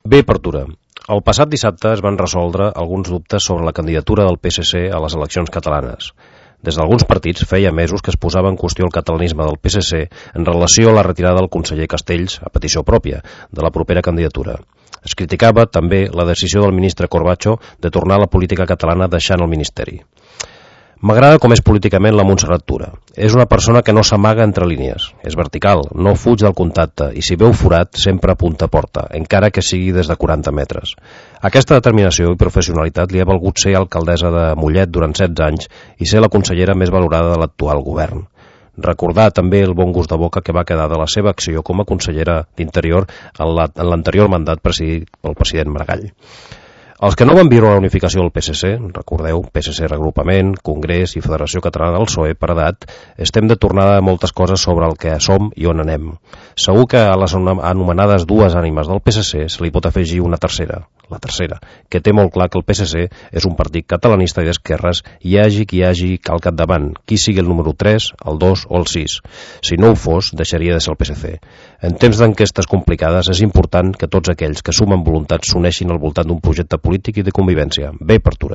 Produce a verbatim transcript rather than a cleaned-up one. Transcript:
Bé, Pertura. El passat dissabte es van resoldre alguns dubtes sobre la candidatura del P S C a les eleccions catalanes. Des d'alguns partits feia mesos que es posava en qüestió el catalanisme del P S C en relació a la retirada del conseller Castells, a petició pròpia, de la propera candidatura. Es criticava també la decisió del ministre Corbacho de tornar a la política catalana deixant el ministeri. M'agrada com és políticament la Montserrat Tura. És una persona que no s'amaga entre línies, és vertical, no fuig del contacte i si veu forat sempre apunta a porta, encara que sigui des de quaranta metres. Aquesta determinació i professionalitat li ha valgut ser alcaldessa de Mollet durant setze anys i ser la consellera més valorada de l'actual govern. Recordar també el bon gust de boca que va quedar de la seva acció com a consellera d'Interior en l'anterior mandat presidit pel president Maragall. Els que no van viure la unificació del P S C, recordeu, P S C Regrupament, Congrés i Federació Catalana del P S O E per edat, estem de tornada a moltes coses sobre el que som i on anem. Segur que a les anomenades dues ànimes del P S C se li pot afegir una tercera, la tercera, que té molt clar que el P S C és un partit catalanista i d'esquerres i hi hagi qui hi hagi al capdavant, qui sigui el número tres, el dos o el sis. Si no ho fos, deixaria de ser el P S C. En temps d'enquestes complicades és important que tots aquells que sumen voluntats s'uneixin al voltant d'un projecte polític i de convivència. Bé, Pertura.